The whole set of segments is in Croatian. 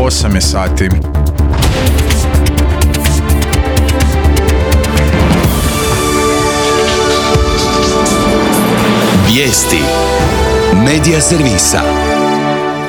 8 je sati. Vijesti Medija servisa.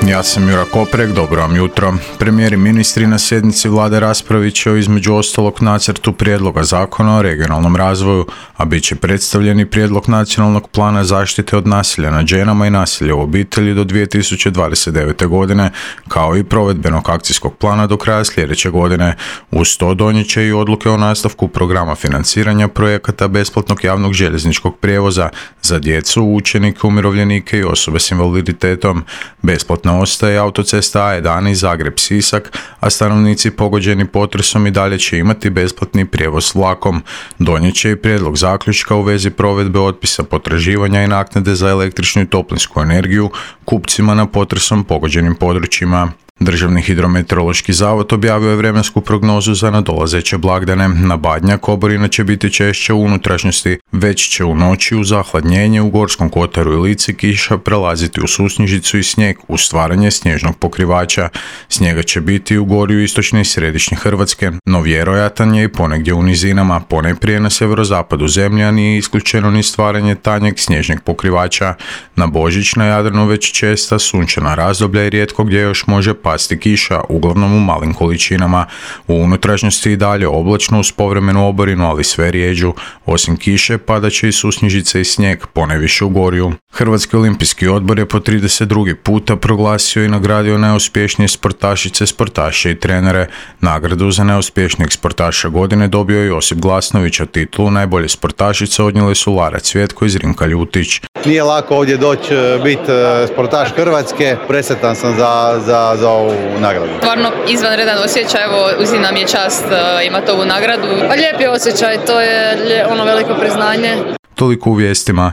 Ja sam Jura Koprek, dobro vam jutro. Premijer i ministri na sjednici vlade raspravit će o između ostalog nacrtu prijedloga zakona o regionalnom razvoju, a bit će predstavljen i prijedlog nacionalnog plana zaštite od nasilja nad ženama i nasilja u obitelji do 2029. godine, kao i provedbenog akcijskog plana do kraja sljedeće godine. Uz to donijet će i odluke o nastavku programa financiranja projekata besplatnog javnog željezničkog prijevoza za djecu, učenike, umirovljenike i osobe s invaliditetom. Besplatna ostaje autocesta A11 Zagreb-Sisak, a stanovnici pogođeni potresom i dalje će imati besplatni prijevoz vlakom. Donijet će i prijedlog zaključka u vezi provedbe otpisa potraživanja i naknade za električnu i toplinsku energiju kupcima na potresom pogođenim područjima. Državni hidrometeorološki zavod objavio je vremensku prognozu za nadolazeće blagdane. Na Badnjak oborina će biti češće u unutrašnjosti, već će u noći uz zahladnjenje u Gorskom kotaru i Lici kiša prelaziti u susnježicu i snijeg uz stvaranje snježnog pokrivača. Snijega će biti u gorju istočne i središnje Hrvatske, no vjerojatan je i ponegdje u nizinama, ponajprije na sjeverozapadu zemlje, a nije isključeno ni stvaranje tanjeg snježnog pokrivača. Na Božić na Jadranu već česta sunčana razdoblja i rijetko gdje još može pasti kiša, uglavnom u malim količinama. U unutrašnjosti i dalje oblačno uz povremenu oborinu, ali sve rijeđu. Osim kiše padat će i susnježice i snijeg, ponajviše u gorju. Hrvatski olimpijski odbor je po 32. puta proglasio i nagradio najuspješnije sportašice, sportaše i trenere. Nagradu za najuspješnijeg sportaša godine dobio je Josip Glasnović, a titulu najbolje sportašice odnijeli su Lara Cvjetko i Zrinka Ljutić. Nije lako ovdje doći biti sportaš Hrvatske, presretan sam za ovu nagradu. Stvarno izvanredan osjećaj, evo uzimna mi je čast imati ovu nagradu. Lijep je osjećaj, to je veliko priznanje. Toliko u vijestima.